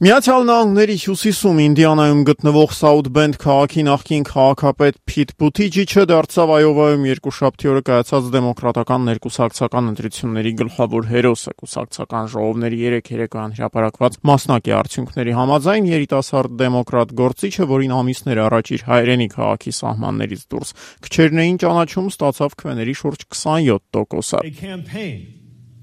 Միացյալ Նահանգների հյուսիսում Ինդիանայում գտնվող South Bend քաղաքի նախկին քաղաքապետ Փիթ Բութիջիչը դարձավ Այովայում երկուշաբթի օրը կայացած դեմոկրատական ներկուսակցական ընտրությունների գլխավոր հերոսը։ Կուսակցական ժողովների 3 երեկոյան հրապարակված մասնակի արդյունքների համաձայն երիտասարդ դեմոկրատ գործիչը, որին ամիսներ առաջ իր հայրենի քաղաքի սահմաններից դուրս քչերն էին ճանաչում, ստացավ քվեների շուրջ 27%-ը։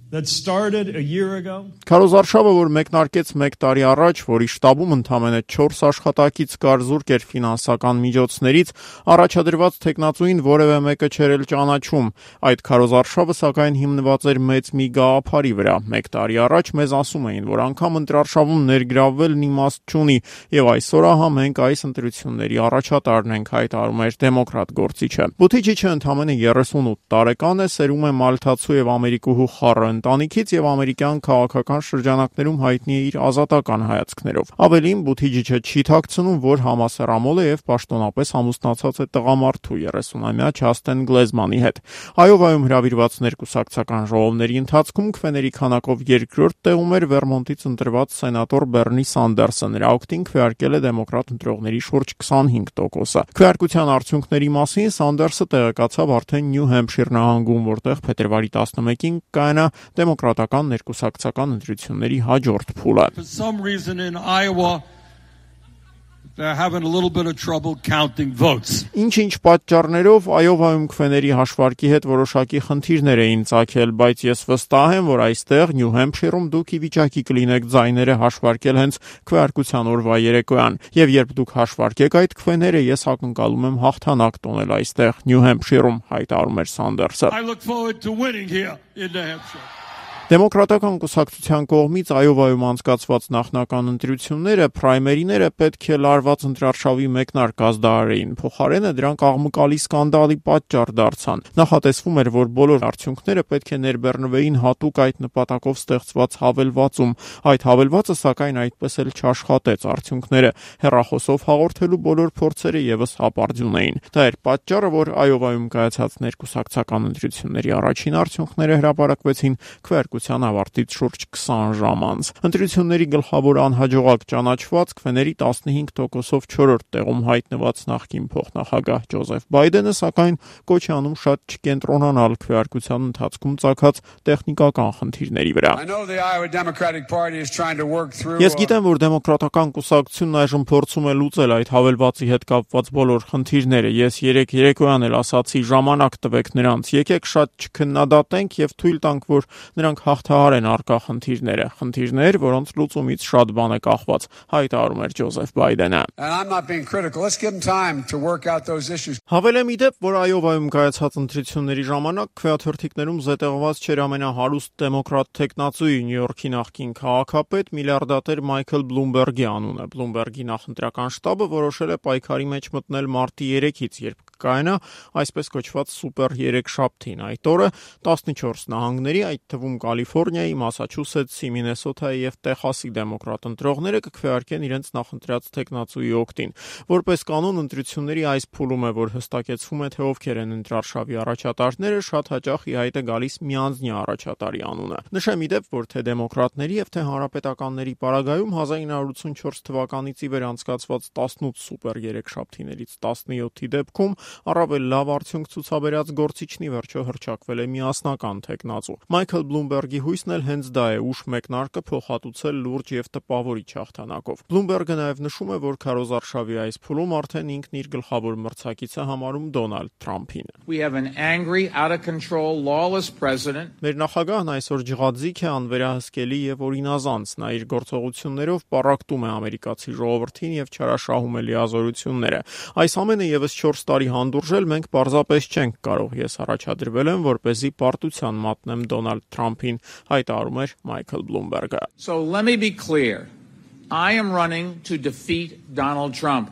Քարոզարշավը, որ մեկնարկեց 1 տարի առաջ, որի շտաբում ընդամենը 4 աշխատակից կար, զուրկ էր ֆինանսական միջոցներից, առաջադրված թեկնածուին որևէ մեկը չէր էլ ճանաչում։ Այդ քարոզարշավը սակայն հիմնված էր մեծ մի գաղափարի վրա։ 1 տարի առաջ մեզ ասում էին, որ անգամ ընտրարշավում ներգրավվելն իմաստ չունի, եւ այսօր ահա մենք այս ընտրությունների առաջատարն ենք, հայտարարում էր դեմոկրատ գործիչը։ Բութիջիչը ընդամենը 38 տարեկան է, սերում է մալթացու եւ ամերիկուհու խառը ընտանիքից եւ ամերիկյան քաղաքական շրջանակներում հայտնի է իր ազատական հայացքներով։ Ավելին, Բութիջիչը չի թաքցնում, որ համասեռամոլ է եւ պաշտոնապես ամուսնացած է տղամարդու 30-ամյա Չաստեն Գլեզմանի հետ։ Այովայում հրավիրված ներկուսակցական ժողովների ընթացքում քվեների քանակով երկրորդ տեղում էր Վերմոնտից ընտրված սենատոր Բեռնի Սանդերսը։ Նրա օգտին քվեարկել է դեմոկրատ ընտրողների շուրջ 25%-ը։ Քվեարկության արդյունքների մասին Սանդերսը տեղեկացավ արդեն Նյու Հեմփշիր նահանգում, որտեղ փետրվարի 11-ին կայանա դեմոկրատական ներկուսակցական ընտրությունների հաջորդ փուլը։ Ինչ պատճառներով Այովայում քվեների հաշվարկի հետ որոշակի խնդիրներ էին ծագել, բայց ես վստահ եմ, որ այստեղ Նյու Հեմփշիրում դուք ի վիճակի կլինեք ձայները հաշվարկել հենց քվեարկության օրվա երեկոյան, եւ երբ դուք հաշվարկեք այդ քվեները, ես ակնկալում եմ հաղթանակ տոնել այստեղ Նյու Հեմփշիրում, հայտարարում էր Սանդերսը։ Դեմոկրատական կուսակցության կողմից Այովայում անցկացված նախնական ընտրությունները, պրայմերիները պետք է լարված ընտրարշավի մեկնարկած դարերին, փոխարենը դրանք աղմկալի սկանդալի պատճառ դարձան։ Նախատեսվում էր, որ բոլոր արդյունքները պետք է ներբեռնվեին հատուկ այդ նպատակով ստեղծված հավելվածում։ Այդ հավելվածը սակայն այդպես էլ չաշխատեց, արդյունքները հեռախոսով հաղորդելու բոլոր փորձերը եւս հապարդյուն էին։ Դա էր պատճառը, որ Այովայում կայացած ներկուսակցական ընտրությունների առաջին արդյունքները հրապարակվեցին ավարտից շուրջ 20 ժամ անց։ Ընտրությունների գլխավոր անհաջողակ ճանաչված քվեների 15%-ով 4-րդ տեղում հայտնված նախկին փոխնախագահ Ջոզեֆ Բայդենը սակայն կոչ է անում շատ չկենտրոնանալ քվեարկության ընթացքում ծագած տեխնիկական խնդիրների վրա։ Ես գիտեմ, որ դեմոկրատական կուսակցությունն այժմ փորձում է լուծել այդ հավելվածի հետ կապված բոլոր խնդիրները։ Ես երեկոյան էլ ասացի, ժամանակ տվեք նրանց, եկեք շատ չքննադատենք եւ թույլ տանք, որ նրանք հաղթահարեն առկա խնդիրներ, որոնց լուծումից շատ բան է կախված, հայտարարում էր Ջոզեֆ Բայդենը։ Հավելեմ ի դեպ, որ Այովայում կայացած ընտրությունների ժամանակ քվեաթերթիկներում զետեղված չէր ամենահարուստ դեմոկրատ թեկնածուի Նյու Յորքի նախկին քաղաքապետ միլիարդատեր Մայքլ Բլումբերգի անունը։ Բլումբերգի նախընտրական շտաբը որոշել է պայքարի մեջ մտնել մարտի 3-ից, երբ կայանա այսպես կոչված սուպեր երեքշաբթին։ Այդ օրը 14 նահանգների, այդ թվում Կալիֆոռնիայի, Մասաչուսեթսի, Մինեսոթայի եւ Տեխասի դեմոկրատ ընտրողները կքվեարկեն իրենց նախընտրած թեկնածուի օգտին։ Որպես կանոն ընտրությունների այս փուլում է, որ հստակեցվում է, թե ովքեր են ընտրարշավի առաջատարները, շատ հաճախ ի հայտ է գալիս միանձնյա առաջատարի անունը։ Նշեմ ի դեպ, որ թե դեմոկրատների եւ թե հանրապետականների պարագայում 1984 թվականից ի վեր անցկացված 18 սուպեր երեքշաբթիներից 17-ի դեպքում առավել լավ արդյունք ցուցաբերած գործիչն ի վերջո հռչակվել է միասնական թեկնածու։ Մայքլ Բլումբերգի հույսն էլ հենց դա է՝ ուշ մեկնարկը փոխհատուցել լուրջ եւ տպավորիչ հաղթանակով։ Բլումբերգը նաեւ նշում է, որ քարոզարշավի այս փուլում արդեն ինքն իր գլխավոր մրցակիցը համարում Դոնալդ Թրամփին։ Մեր նախագահն այսօր ջղաձիգ է, անվերահսկելի եւ օրինազանց։ Նա իր գործողություններով պառակտում է ամերիկացի ժողովրդին եւ չարաշահում է լիազորությունները։ Այս ամենը եւս 4 տարի հանդուրժել մենք պարզապես չենք կարող։ Ես առաջադրվել եմ, որպեսզի պարտության մատնեմ Դոնալդ Թրամփին, հայտարարում էր Մայքլ Բլումբերգը։ So let me be clear. I am running to defeat Donald Trump.